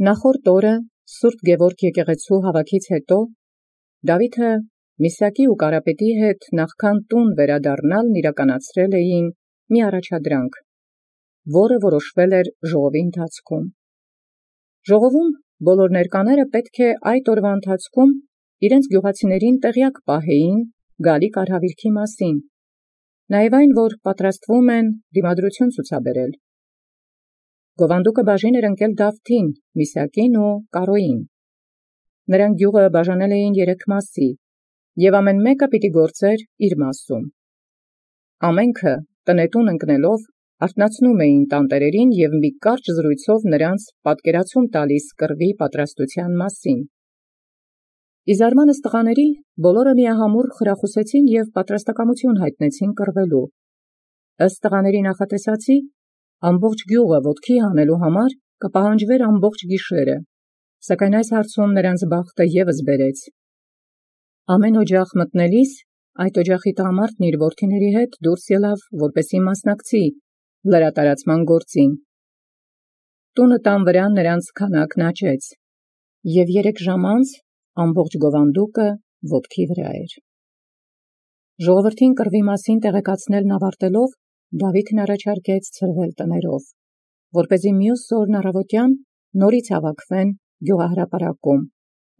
Նախորդ օրը Սուրբ Գևորգ եկեղեցու հավաքից հետո Դաւիթը Միսակի ու Կարապետի հետ նախքան տուն վերադառնալ իրականացրել էին մի առաջադրանք, որը որոշվել էր ժողովի ընթացքում։ Ժողովում բոլոր ներկաները պետք է այդ օրվա ընթացքում իրենց գյուղացիներին տեղյակ պահեին գալիք արհավիրքի մասին, նաև այն, որ պատրաստվում են դիմադրություն ցուցաբերել։ Գովանդուկը բաժին էր ընկել Դավթին, Միսակին ու Կարոյին։ Նրանք գյուղը բաժանել էին 3 մասի, և ամեն մեկը պիտի գործեր իր մասում։ Ամենքը տնետուն ընկնելով արթնացնում էին տանտերերին և մի կարճ զրույցով նրանց պատկերացում տալիս կռվի պատրաստության մասին։ Ի զարմանս տղաների բոլորը միահամուռ խրախուսեցին և պատրաստակամություն հայտնեցին կռվելու։ Ըստ տղաների նախատեսածի, ամբողջ գյուղը ոտքի հանելու համար կպահանջվեր ամբողջ գիշերը, սակայն այս հարցում նրանց բախտը ևս բերեց։ Ամեն օջախ մտնելիս այդ օջախի տղամարդն իր որդիների հետ դուրս ելավ, որպեսզի մասնակցի լրատարածման գործին։ Տունը տան վրա նրանց քանակն աճեց, և 3 ժամ անց ամբողջ Գովանդուկը ոտքի վրա էր։ Ժողովրդին կռվի մասին տեղեկացնելն ավարտելով, Դավիթն առաջարկեց ցրվել տներով, որպեսզի մյուս օրն առավոտյան նորից հավաքվեն գյուղահրապարակում,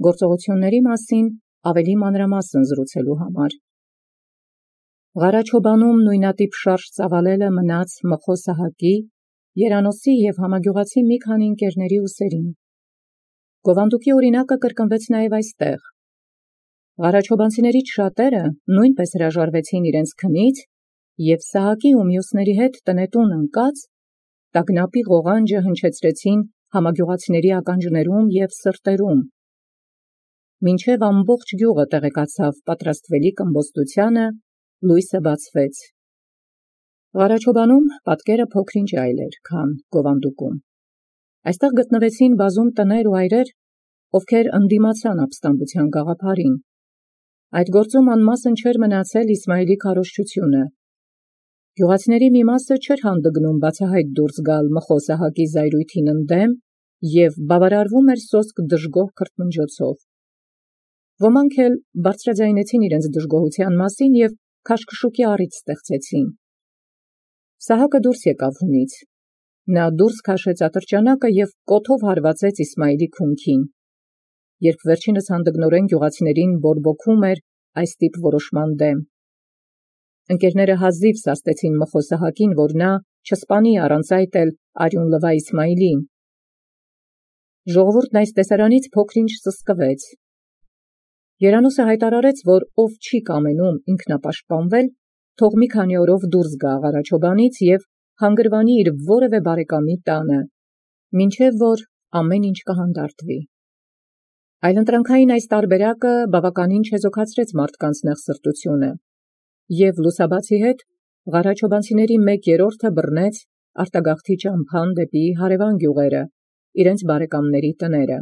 գործողությունների մասին ավելի մանրամասն զրուցելու համար։ Ղարաչոբանում նույնատիպ շարժ ծավալելը մնաց Մխո Սահակի, Երանոսի և համագյուղացի մի քանի ընկերների ուսերին։ Գովանդուկի օրինակը կրկնվեց նաև այստեղ։ Ղարաչոբանցիներից շատերը նույնպես հրաժարվեցին իրենց քնից և Սահակի ու մյուսների հետ տնետուն ընկած տագնապի ղողանջը հնչեցրեցին համագյուղացիների ականջներում և սրտերում, մինչև ամբողջ գյուղը տեղեկացավ պատրաստվելիք ըմբոստությանը, լույսը բացվեց։ Ղարաչոբանում պատկերը փոքր-ինչ այլ էր, քան Գովանդուկում։ Այստեղ գտնվեցին բազում տներ ու այրեր, ովքեր ընդդիմացան ապստամբության գաղափարին։ Այդ գործում անմասն չէր մնացել Իսմայիլի քարոզչությունը։ Գյուղացիների մի մասը չէր հանդգնում բացահայտ դուրս գալ Մխո Սահակի զայրույթին ընդդեմ և բավարարվում էր սոսկ դժգոհ քրթմնջոցով։ Ոմանք էլ բարձրաձայնեցին իրենց դժգոհության մասին և քաշքշուկի առիթ ստեղծեցին։ Սահակը դուրս եկավ հունից։ Նա դուրս քաշեց ատրճանակը և կոթով հարվածեց Իսմայիլի քունքին, երբ վերջինս հանդգնորեն գյուղացիներին բորբոքում էր այս տիպ որոշման դեմ։ Ընկերները հազիվ սաստեցին Մխո Սահակին, որ նա չսպանի առանց այդ էլ արյուն լվա Իսմայիլին։ Ժողովուրդն այս տեսարանից փոքր-ինչ սսկվեց։ Երանոսը հայտարարեց, որ ով չի կամենում ինքնապաշտպանվել, թող մի քանի օրով դուրս գա Ղարաչոբանից և հանգրվանի իր որևէ բարեկամի տանը, մինչև որ ամեն ինչ կհանդարտվի։ Այլընտրանքային այս տարբերակը բավականին չեզոքացրեց մարդկանց նեղսրտությունը, և լուսաբացի հետ ղարաչոբանցիների 1/3 բռնեց արտագաղթի ճամփան դեպի հարևան գյուղերը, իրենց բարեկամների տները։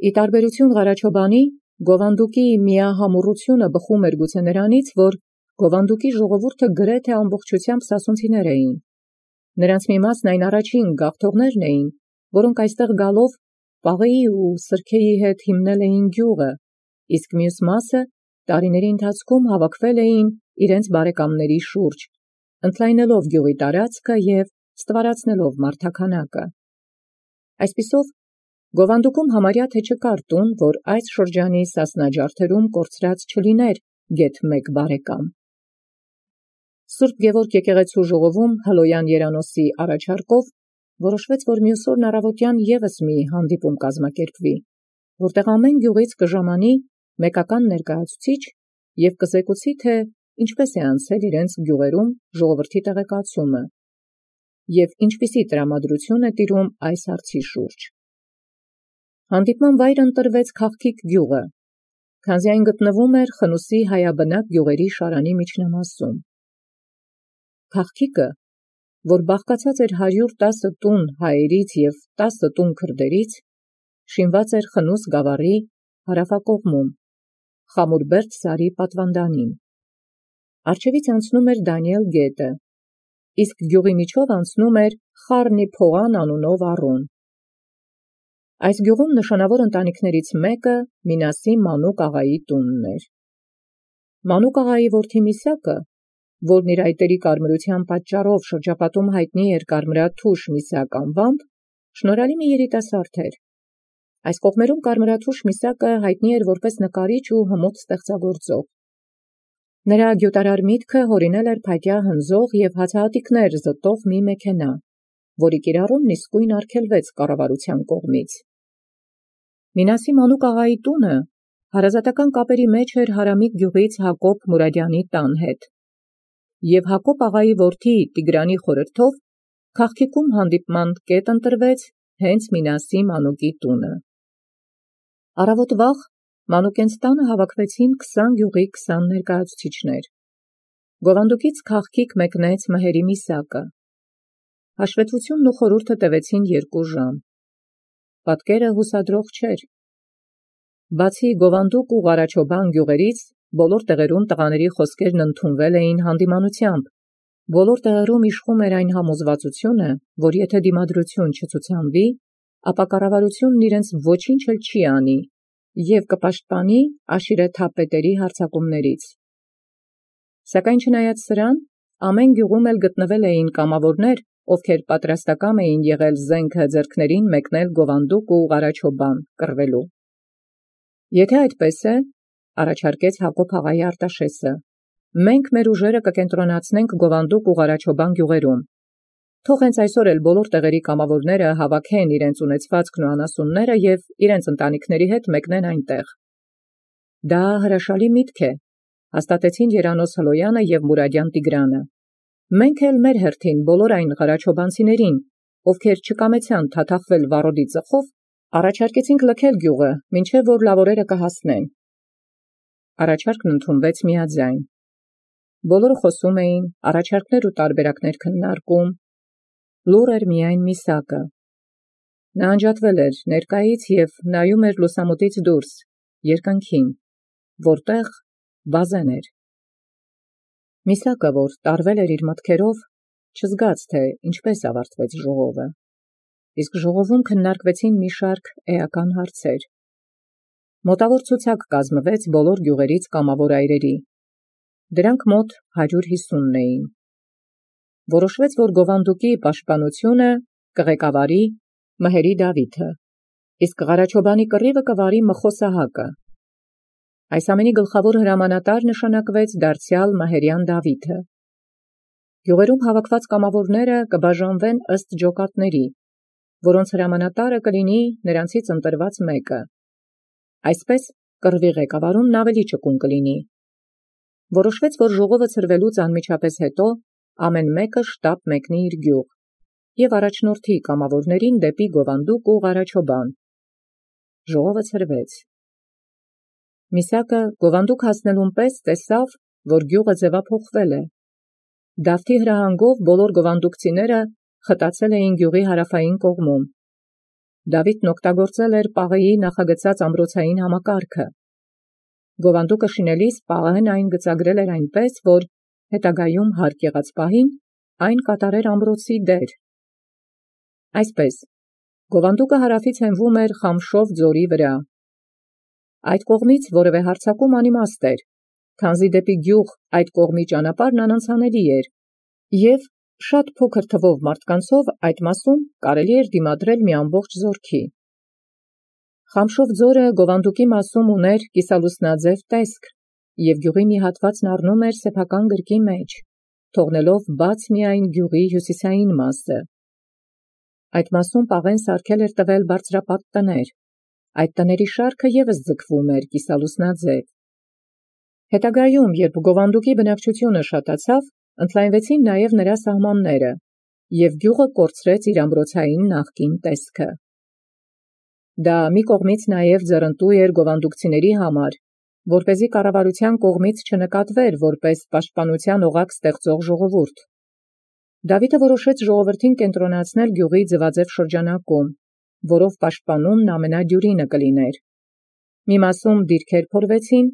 Ի տարբերություն Ղարաչոբանի, Գովանդուկի միահամուռությունը բխում էր գուցե նրանից, որ Գովանդուկի ժողովուրդը գրեթե ամբողջությամբ սասունցիներ էին։ Նրանց մի մասն այն առաջին գաղթողներն էին, որոնք այստեղ գալով պաղեի ու սրքեի հետ հիմնել էին գյուղը, իսկ մյուս մասը տարիների ընթացքում հավաքվել էին իրենց բարեկամների շուրջ, ընդլայնելով գյուղի տարածքը և ստվարացնելով մարդաքանակը։ Այսպիսով, Գովանդուկում համարյա թե չկար տուն, որ այս շրջանի սասնաջարդերում կորցրած չլիներ գեթ մեկ բարեկամ։ Սուրբ Գևորգ եկեղեցու ժողովում Հլոյան Երանոսի առաջարկով որոշվեց, որ մյուս օրն առավոտյան ևս մի հանդիպում կազմակերպվի, որտեղ ամեն գյուղից կժամանի մեկական ներկայացուցիչ և կզեկուցի, թե ինչպես է անցել իրենց գյուղերում ժողովրդի տեղեկացումը և ինչպիսի տրամադրություն է տիրում այս հարցի շուրջ։ Հանդիպման վայրը ընտրվեց Քաղքիկ գյուղը, քանզի այն գտնվում էր Խնուսի հայաբնակ գյուղերի շարանի միջնամասում։ Քաղքիկը, որ բաղկացած էր 110 տուն հայերից և 10 տուն քրդերից, շինված էր Խնուս գավառի հարավակողմում, Խամուրբերդ սարի պատվանդանին։ Առջևից անցնում էր Դանիել գետը, իսկ գյուղի միջով անցնում էր Խառնի Փողան անունով առուն։ Այս գյուղում նշանավոր ընտանիքներից մեկը Մինասի Մանուկ աղայի տունն էր։ Մանուկ աղայի որդի Միսակը, որն իր այտերի կարմրության պատճառով շրջապատում հայտնի էր կարմրաթուշ Միսակ անվամբ, շնորհալի մի երիտասարդ էր։ Այս կողմերում կարմրաթուշ Միսակը հայտնի էր որպես նկարիչ ու հմուտ ստեղծագործող։ Նրա գյուտարար միտքը հորինել էր փայտյա հնձող և հացահատիկներ զտող մի մեքենա, որի կիրառումն իսկույն արգելվեց կառավարության կողմից։ Մինասի Մանուկ աղայի տունը հարազատական կապերի մեջ էր Հարամիկ գյուղից Հակոբ Մուրադյանի տան հետ, և Հակոբ աղայի որդի Տիգրանի խորհրդով քաղաքիկում հանդիպման կետ ընտրվեց հենց Մինասի Մանուկի տունը։ Առավոտ վաղ Մանուկենց տանը հավաքվեցին 20 գյուղի 20 ներկայացուցիչներ։ Գովանդուկից քաղաքիկ մեկնեց Մհերի Միսակը։ Հաշվետվությունն ու խորհուրդը տևեցին 2 ժամ։ Պատկերը հուսադրող չէր։ Բացի Գովանդուկ ու Ղարաչոբան գյուղերից, բոլոր տեղերում տղաների խոսքերն ընդունվել էին հանդիմանությամբ։ Բոլոր տեղերում իշխում էր այն համոզվածությունը, որ եթե դիմադրություն չցուցանվի, ապա կառավարությունն իրենց ոչինչ էլ չի անի և կպաշտպանի աշիրեթապետերի հարձակումներից։ Սակայն չնայած սրան, ամեն գյուղում էլ գտնվել էին կամավորներ, ովքեր պատրաստակամ էին եղել զենքը ձեռքներին մեկնել Գովանդուկ ու Ղարաչոբան կռվելու։ Եթե այդպես է, առաջարկեց Հակոբ աղայի Արտաշեսը, մենք մեր ուժերը կկենտրոնացնենք Գովանդուկ ու Ղարաչոբան գյուղերում։ Թող հենց այսօր էլ բոլոր տեղերի կամավորները հավաքեն իրենց ունեցվածքն ու անասունները և իրենց ընտանիքների հետ մեկնեն այնտեղ։ Դա հրաշալի միտք է, հաստատեցին Երանոս Հլոյանը և Մուրադյան Տիգրանը։ Մենք էլ մեր հերթին բոլոր այն ղարաչոբանցիներին, ովքեր չկամեցան թաթախվել վառոդի ծխով, առաջարկեցինք լքել գյուղը, մինչև որ լավորերը կհասնեն։ Առաջարկն ընդունվեց միաձայն։ Բոլորը խոսում էին, առաջարկներ ու տարբերակներ քննարկում։ Լուռ էր միայն Միսակը։ Նա անջատվել էր ներկայից և նայում էր լուսամուտից դուրս, երկնքին, որտեղ բազեն էր։ Միսակը, որ տարվել էր իր մտքերով, չզգաց, թե ինչպես ավարտվեց ժողովը։ Իսկ ժողովում քննարկվեցին մի շարք էական հարցեր։ Մոտավոր ցուցակ կազմվեց բոլոր գյուղերից կամավոր այրերի։ Դրանք մոտ 150 էին։ Որոշվեց, որ Գովանդուկի պաշտպանությունը կղեկավարի Մհերի Դավիթը, իսկ Ղարաչոբանի կռիվը կվարի Մխո Սահակը։ Այս ամենի գլխավոր հրամանատար նշանակվեց դարձյալ Մհերյան Դավիթը։ Գյուղերում հավաքված կամավորները կբաժանվեն ըստ ջոկատների, որոնց հրամանատարը կլինի նրանցից ընտրված մեկը։ Այսպես կռվի ղեկավարումն ավելի ճկուն կլինի։ Որոշվեց, որ ժողովը ցրվելուց անմիջապես հետո ամեն մեկը շտապ մեկնի իր գյուղ և առաջնորդի կամավորներին դեպի Գովանդուկ ու Ղարաչոբան։ Ժողովը ցրվեց։ Միսակը Գովանդուկ հասնելուն պես տեսավ, որ գյուղը ձևափոխվել է։ Դավթի հրահանգով բոլոր գովանդուկցիները խտացել էին գյուղի հարավային կողմում։ Դավիթն օգտագործել էր Պաղեի նախագծած ամրոցային համակարգը։ Գովանդուկը շինելիս Պաղեհն այն գծագրել էր այնպես, որ հետագայում հարկ եղած պահին այն կատարեր ամրոցի դեր։ Այսպես, Գովանդուկը հարավից հենվում էր Խամշով ձորի վրա։ Այդ կողմից որևէ հարձակում անիմաստ էր, քանզի դեպի գյուղ այդ կողմի ճանապարհն անանցանելի էր, և շատ փոքր թվով մարդկանցով այդ մասում կարելի էր դիմադրել մի ամբողջ զորքի։ Խամշով ձորը Գովանդուկի մասում ուներ կիսալուսնաձև տեսք, և գյուղի մի հատվածն առնում էր սեփական գրկի մեջ, թողնելով բաց միայն գյուղի հյուսիսային մասը։ Այդ մասում Պաղեն սարքել էր տվել բարձրապատ տներ։ Այդ տների շարքը ևս ձգվում էր կիսալուսնաձև։ Հետագայում, երբ Գովանդուկի բնակչությունը շատացավ, ընդլայնվեցին նաև նրա սահմանները, և գյուղը կորցրեց իր ամրոցային նախկին տեսքը։ Դա մի կողմից նաև ձեռնտու էր գովանդուկցիների համար, որպեսզի կառավարության կողմից չնկատվեր որպես պաշտպանության օղակ ստեղծող ժողովուրդ։ Դավիթը որոշեց ժողովրդին կենտրոնացնել գյուղի ձվաձև շրջանակում, որով պաշտպանումն ամենադյուրինը կլիներ։ Մի մասում դիրքեր փորվեցին,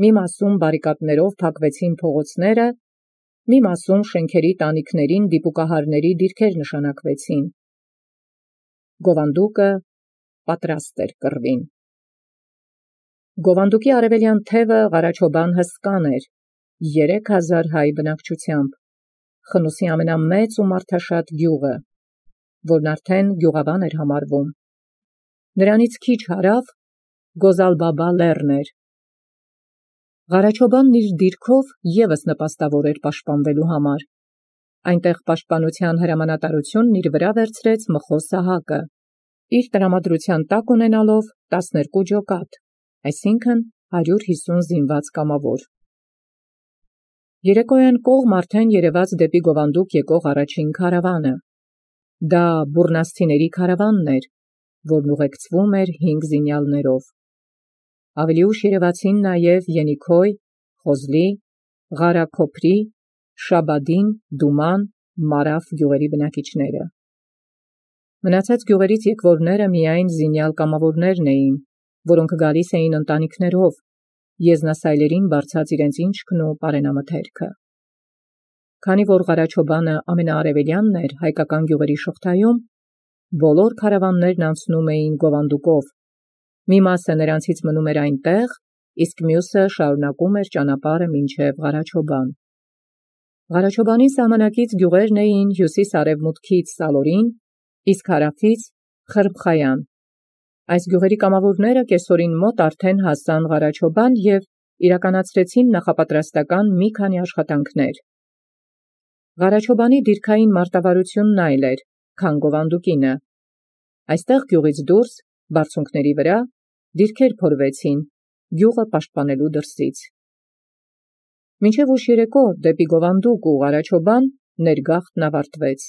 մի մասում բարիկադներով փակվեցին փողոցները, մի մասում շենքերի տանիքներին դիպուկահարների դիրքեր նշանակվեցին։ Գովանդուկը պատրաստ էր կռվին։ Գովանդուկի արևելյան թևը Ղարաչոբան հսկան էր, 3000 հայ բնակչությամբ, Խնուսի ամենամեծ ու մարդաշատ գյուղը, որն արդեն գյուղավան էր համարվում։ Նրանից քիչ հարավ Գոզալբաբա լեռն էր։ Ղարաչոբանն իր դիրքով ևս նպաստավոր էր պաշտպանվելու համար։ Այնտեղ պաշտպանության հրամանատարությունն իր վրա վերցրեց Մխոս Սահակը, իր տրամադրության տակ ունենալով 12 ջոկատ, այսինքն 150 զինված կամավոր։ Երեկոյան կողմ արդեն երևաց դեպի Գովանդուկ եկող առաջին քարավանը։ Դա բուռնաստիների քարավանն էր, որն ուղեկցվում էր 5 զինյալներով։ Ավելի ուշ երևացին նաև Ենիքոյ, Խոզլի, Ղարա Քոփրի, Շաբադին, Դուման, Մարաֆ գյուղերի բնակիչները։ Մնացած գյուղերից եկվորները միայն զինյալ կամավորներն էին, որոնք գալիս էին ընտանիքներով, եզնասայլերին բարձած իրենց ինչքն ու պարենամթերքը։ Քանի որ Ղարաչոբանը ամենաարևելյանն էր հայկական գյուղերի շղթայում, բոլոր քարավաններն անցնում էին Գովանդուկով։ Մի մասը նրանցից մնում էր այնտեղ, իսկ մյուսը շարունակում էր ճանապարհը մինչև Ղարաչոբան։ Ղարաչոբանի սահմանակից գյուղերն էին հյուսիս-արևմուտքից Սալորին, իսկ հարավից Խրմխայան։ Այս գյուղերի կամավորները կեսօրին մոտ արդեն հասան Ղարաչոբան և իրականացրեցին նախապատրաստական մի քանի աշխատանքներ։ Ղարաչոբանի դիրքային մարտավարությունն այլ էր, քան Գովանդուկինը։ Այստեղ գյուղից դուրս, բարձունքների վրա, դիրքեր փորվեցին, գյուղը պաշտպանելու դրսից։ Մինչև ուշ երեկո դեպի Գովանդուկ ու Ղարաչոբան ներգաղթն ավարտվեց։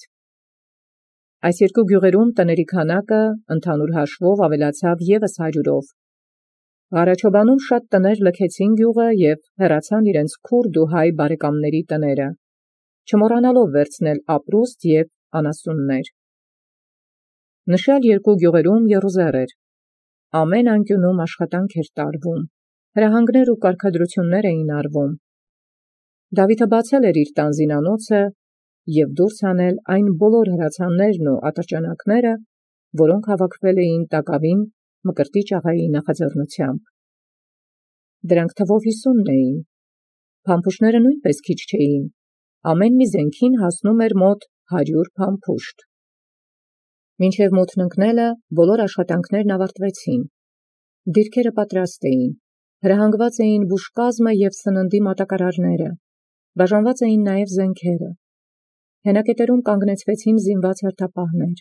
Այս երկու գյուղերում տների քանակը ընդհանուր հաշվով ավելացավ ևս 100-ով։ Ղարաչոբանում շատ տներ լքեցին գյուղը և հեռացան իրենց քուրդ ու հայ բարեկամների տները, չմոռանալով վերցնել ապրուստ և անասուններ։ Նշյալ երկու գյուղերում եռուզեռ էր։ Ամեն անկյունում աշխատանք էր տարվում, հրահանգներ ու կարգադրություններ էին արվում։ Դավիթը բացել էր իր տան զինանոցը և դուրս հանել այն բոլոր հրացաններն ու ատրճանակները, որոնք հավաքվել էին տակավին Մկրտիչ աղայի նախաձեռնությամբ։ Դրանք թվով 50 էին։ Փամփուշտները նույնպես քիչ չէին, ամեն մի զենքին հասնում էր մոտ 100 փամփուշտ։ Մինչև մութն ընկնելը բոլոր աշխատանքներն ավարտվեցին։ Դիրքերը պատրաստ էին, հրահանգված էին բուժկազմը և սննդի մատակարարները, բաժանված էին նաև զենքերը։ Հենակետերում կանգնեցվեցին զինված հերթապահներ։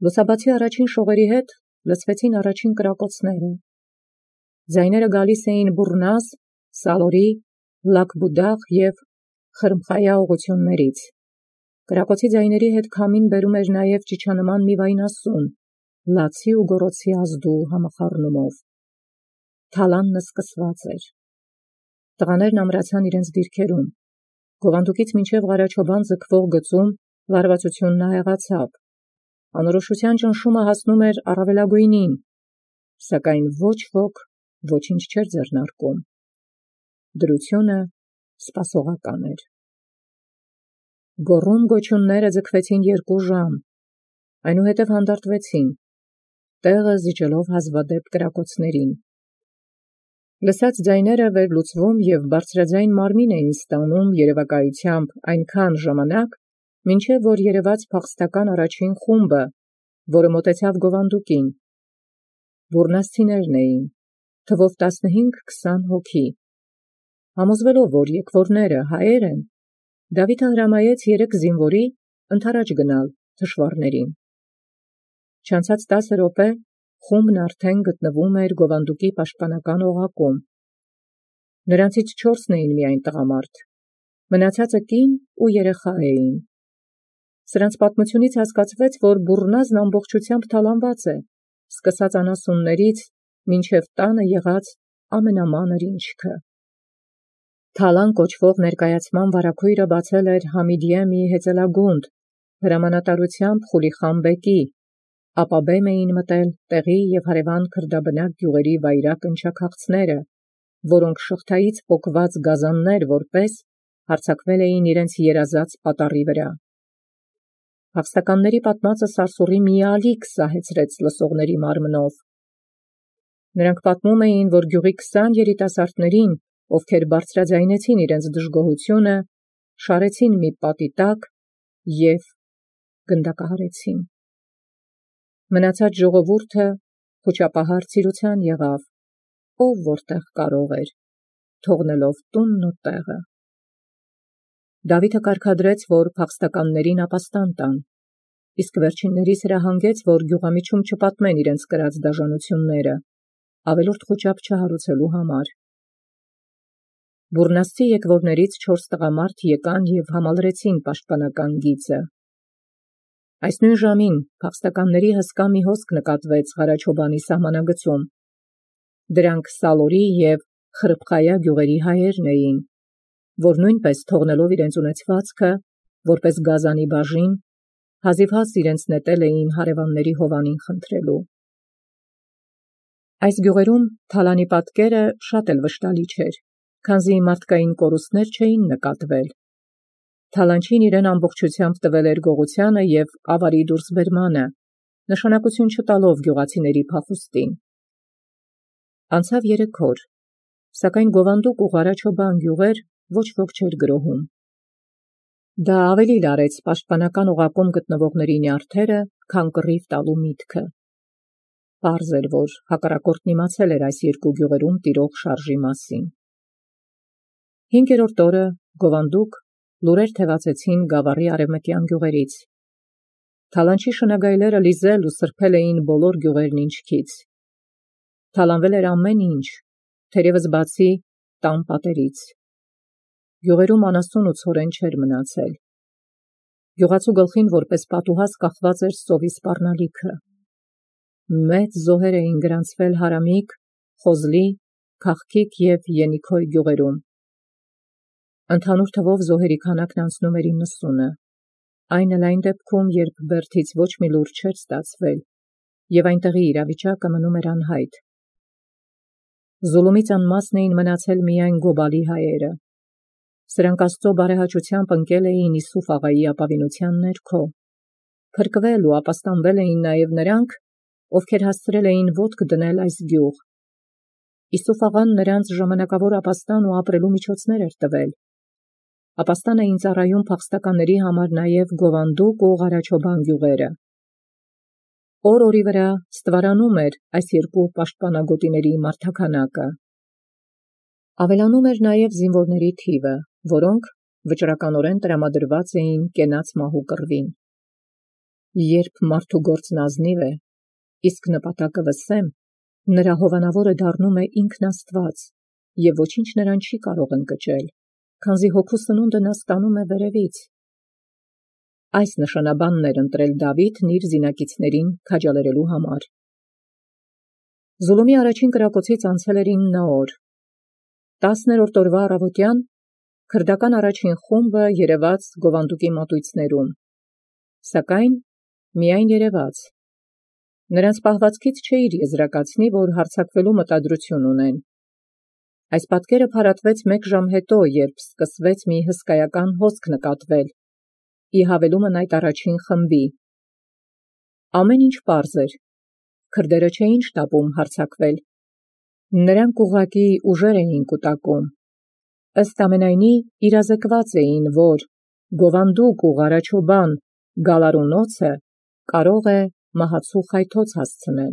Լուսաբացի առաջին շողերի հետ լսվեցին առաջին կրակոցները։ Ձայները գալիս էին Բուռնազ, Սալորի, Լաքբուդաղ և Խրմխայա ուղղություններից։ Կրակոցի ձայների հետ քամին բերում էր նաև ճիչանման մի վայնասուն, լացի ու գոռոցի ազդու համախառնումով։ Թալանն սկսված էր։ Տղաներն ամրացան իրենց դիրքերում։ Գովանդուկից մինչև Ղարաչոբան ձգվող գծում լարվածությունն ահեղացավ։ Անորոշության ճնշումը հասնում էր առավելագույնին, սակայն ոչ ոք ոչինչ չէր ձեռնարկում։ Դրությունը սպասողական էր։ Գոռում-գոչյունները ձգվեցին 2 ժամ, այնուհետև հանդարտվեցին, տեղը զիջելով հազվադեպ կրակոցներին։ Լսած ձայները վերլուծվում և բարձրաձայն մարմին էին ստանում երևակայությամբ այնքան ժամանակ, մինչև որ երևաց փախստական առաջին խումբը, որը մոտեցավ Գովանդուկին։ Բուռնաստիներն էին, թվով 15-20 հոգի։ Համոզվելով, որ եկվորները հայեր են, Դավիթը հրամայեց 3 զինվորի ընդառաջ գնալ թշվառներին։ Չանցած 10 րոպե խումբն արդեն գտնվում էր Գովանդուկի պաշտպանական օղակում։ Նրանցից 4-ն էին միայն տղամարդ, մնացածը կին ու երեխա էին։ Սրանց պատմությունից հասկացվեց, որ Բուռնազն ամբողջությամբ թալանված է, սկսած անասուններից մինչև տանը եղած ամենամանր ինչքը։ Թալան կոչվող ներկայացման վարագույրը բացել էր Համիդիե մի հեծելագունդ, հրամանատարությամբ Խուլիխան բեկի, ապա բեմ էին մտել տեղի և հարևան քրդաբնակ գյուղերի վայրակ ընչաքաղցները, որոնք շղթայից պոկված գազաններ որպես հարձակվել էին իրենց երազած պատառի վրա։ Փախստականների պատմածը սարսուռի մի ալիք սահեցրեց լսողների մարմնով։ Նրանք պատմում էին, որ գյուղի 20 երիտասարդներին, ովքեր բարձրաձայնեցին իրենց դժգոհությունը, շարեցին մի պատի տակ և գնդակահարեցին։ Մնացած ժողովուրդը խուճապահար ցիրուցան եղավ, ով որտեղ կարող էր, թողնելով տունն ու տեղը։ Դավիթը կարգադրեց, որ փախստականներին ապաստան տան, իսկ վերջիններիս հրահանգեց, որ գյուղամիջում չպատմեն իրենց կրած դաժանությունները, ավելորդ խուճապ չհարուցելու համար։ Բուռնաստի եկվորներից 4 տղամարդ եկան և համալրեցին պաշտպանական գիծը։ Այս նույն ժամին փախստականների հսկա մի հոսք նկատվեց Ղարաչոբանի սահմանագծում։ Դրանք Սալորի և Խրբխայա գյուղերի հայերն էին, որ նույնպես թողնելով իրենց ունեցվածքը, որպես գազանի բաժին, հազիվհազ իրենց նետել էին հարևանների հովանին խնդրելու։ Այս գյուղերում թալանի պատկերը շատ էլ վշտալի չէր, քանզի մարդկային կորուստներ չէին նկատվել։ Թալանչին իրեն ամբողջությամբ տվել էր գողությանը և ավարի դուրսբերմանը, նշանակություն չտալով գյուղացիների փախուստին։ Անցավ 3 օր, սակայն Գովանդուկ ու Ղարաչոբան գյուղեր ոչ ոք չէր գրոհում։ Դա ավելի լարեց պաշտպանական օղակում գտնվողների նյարդերը, քան կռիվ տալու միտքը։ Պարզ էր, որ հակառակորդն իմացել էր այս 2 գյուղերում տիրող շարժի մասին։ 5-րդ օրը Գովանդուկ լուրեր թևածեցին Գավառի արևմտյան գյուղերից։ Թալանչի շնագայլերը լիզել ու սրբել էին բոլոր գյուղերն ինչքից։ Թալանվել էր ամեն ինչ, թերևս բացի տան պատերից։ Գյուղերում անասուն ու ցորեն չէր մնացել։ Գյուղացու գլխին որպես պատուհաս կախված էր սովի սպառնալիքը։ Մեծ զոհեր էին գրանցվել Հարամիկ, Խոզլի, Քաղքիկ և Ենիքոյ գյուղերում։ Ընդհանուր թվով զոհերի քանակն անցնում էր 90-ը, այն էլ այն դեպքում, երբ Բերդից ոչ մի լուր չէր ստացվել, և այնտեղի իրավիճակը մնում էր անհայտ։ Զուլումից անմասն էին մնացել միայն Գոբալի հայերը։ Սրանք Աստծո բարեհաճությամբ ընկել էին Իսուֆ աղայի ապավինության ներքո։ Փրկվել ու ապաստանվել էին նաև նրանք, ովքեր հասցրել էին ոտք դնել այս գյուղ։ Իսուֆ աղան նրանց ժամանակավոր ապաստան ու ապրելու միջոցներ էր տվել։ Ապաստան էին ծառայում փախստականների համար նաև Գովանդուկ ու Ղարաչոբան գյուղերը։ Օր-օրի վրա ստվարանում էր այս 2 պաշտպանագոտիների մարդաքանակը։ Ավելանում էր նաև զինվորների թիվը, որոնք վճռականորեն տրամադրված էին կենաց մահու կռվին։ Երբ մարդու գործն ազնիվ է, իսկ նպատակը վսեմ, նրա հովանավորը դառնում է ինքն Աստված, և ոչինչ նրան չի կարող ընկճել, քանզի հոգու սնունդը նա ստանում է վերևից։ Այս նշանաբանն էր ընտրել Դավիթն իր զինակիցներին քաջալերելու համար։ Զուլումի առաջին կրակոցից անցել էր 9 օր։ 10-րդ օրվա առավոտյան քրդական առաջին խումբը երևաց Գովանդուկի մատույցներում, սակայն միայն երևաց։ Նրանց պահվածքից չէիր եզրակացնի, որ հարձակվելու մտադրություն ունեն։ Այս պատկերը փարատվեց 1 ժամ հետո, երբ սկսվեց մի հսկայական հոսք նկատվել, ի հավելումն այդ առաջին խմբի։ Ամեն ինչ պարզ էր։ Քրդերը չէին շտապում հարձակվել։ Նրանք ուղղակի ուժեր էին կուտակում։ Ըստ ամենայնի իրազեկված էին, որ Գովանդուկ ու Ղարաչոբան գալարունոցը կարող է մահացու խայթոց հասցնել։